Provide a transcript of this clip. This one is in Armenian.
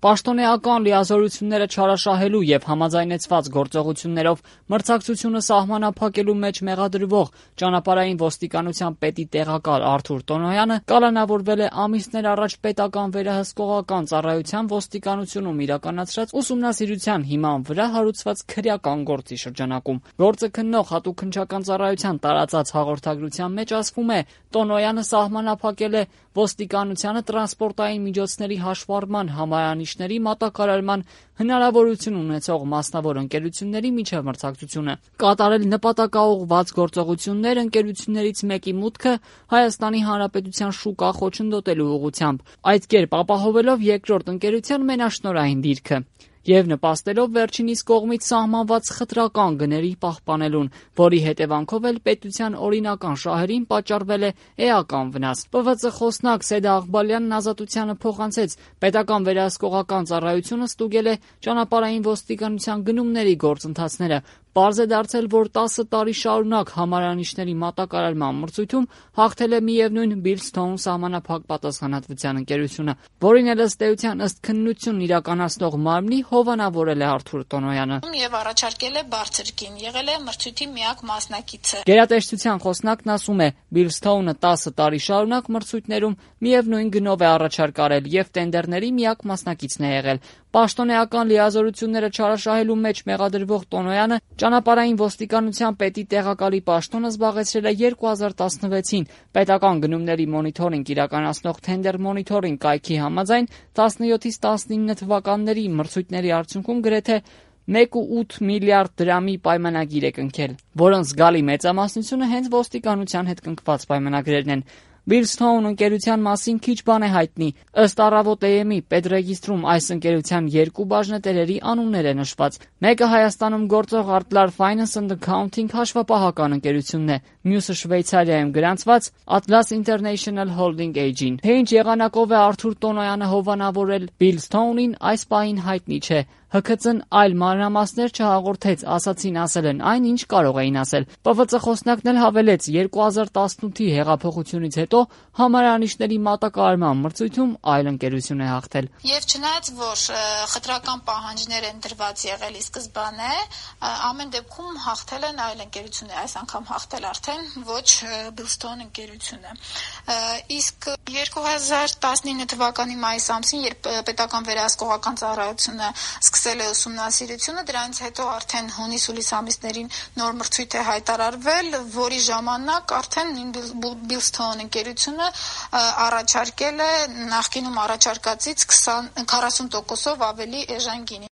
Պաշտոնեական լիազորությունները չարաշահելու եւ համաձայնեցված գործողություններով մրցակցությունը սահմանափակելու մեջ մեղադրվող ճանապարհային ոստիկանության պետի տեղակալ Արթուր Տոնոյանը կալանավորվել է ամիսներ առաջ պետական վերահսկողական ծառայության ոստիկանությունում իրականացրած ուսումնասիրության հիման վրա հարուցված քրեական գործի շրջանակում։ Գործը քննող հատուկ քննչական ծառայության տարածած հաղորդագրության մեջ ասվում է, Տոնոյանը սահմանափակել է ոստիկանությանը տրանսպորտային միջոցների հաշվառման համարանիշների մատակարարման հնարավորություն ունեցող մասնավոր ընկերությունների միջև մրցակցությունը, կատարել նպատակաուղղված գործողություններ ընկերություններից մեկի մուտքը Հայաստանի Հանրապետության շուկա խոչընդոտելու ուղղությամբ, այդ կերպ ապահովելով երկրորդ ընկերության մենաշնորհային դիրքը եւ նպաստելով վերջինիս կողմից սահմանված խտրական գների պահպանելուն, որի հետևանքով էլ պետության օրինական շահերին պատճառվել է էական վնաս։ ՊՎԾ խոսնակ Սեդա Աղբալյանն Ազատությանը փոխանցեց, պետական վերահսկողական ծառայությունը ստուգել է ճանապարհային ոստիկանության գնումների գործընթացները։ Պարզ է դարձել, որ 10 տարի շարունակ համարանիշների մատակարարման մրցույթում հաղթել է միևնույն Բիլստոուն սահմանափակ պատասխանատվության ընկերությունը, որին էլ ըստ էության ըստ քննություն իրականացնող մարմնի հովանավորել է Արթուր Տոնոյանը։ Եվ առաջարկել է բարձր գին, եղել է մրցույթի միակ մասնակիցը։ Գերատեսչության խոսնակն ասում է, Բիլստոունը 10 տարի շարունակ մրցույթներում միևնույն գնով է առաջարկ արել եւ տենդերների միակ մասնակիցն է եղել։ Պաշտոնեական լիազորությունները չարաշահելու մեջ մեղադրվող Տոնոյանը ճանապարհային ոստիկանության պետի տեղակալի պաշտոնը զբաղեցրել է 2016-ին պետական գնումների մոնիթորինգ իրականացնող Tender Monitoring կայքի համաձայն 17-ից 19 թվականների մրցույթների արդյունքում գրեթե 1.8 միլիարդ դրամի պայմանագիր է կնքել, որոնց զգալի մեծամասնությունը հենց ոստիկանության հետ կնքված պայմանագրերն են։ Բիլստոուն ընկերության մասին քիչ բան է հայտնի։ Ըստ Առավոտ AM-ի պետրեգիստրում այս ընկերության երկու բաժնետերերի անուններ է նշված։ Մեկը Հայաստանում գործող Artlar Finance and Accounting հաշվապահական ընկերությունն է, մյուսը Շվեյցարիայում գրանցված Atlas International Holding AG-ն։ Թե ինչ եղանակով է Արթուր Տոնոյանը հովանավորել Բիլստոունին, այս պահին հայտնի չէ։ ՀՔԾ-ն այլ մանրամասներ չհաղորդեց, ասացին ասել են այն, ինչ կարող էին ասել։ ՊՎԾ խոսնակն էլ հավելեց, 2018-ի հեղափոխությունից հետո համարանիշների մատակարարման մրցույթում այլ ընկերություն է հաղթել։ Եվ չնայած որ խտրական պահանջներ են դրված եղել ի սկզբանե, ամեն դեպքում հաղթել են այլ ընկերություններ, այս անգամ հաղթել արդեն ոչ Բիլստոուն ընկերությունը։ Իսկ 2019 թվականի մայիս ամսին, երբ պետական վերահսկողական ծառայությունը սկսել է ուսումնասիրությունը, դրանից հետո արդեն հունիս-հուլիս ամիսներին նոր մրցույթ է հայտարարվել, որի ժամանակ արդեն Բիլստոուն ընկերությունը առաջարկել է նախկինում առաջարկածից 40%-ով ավելի էժան գինի։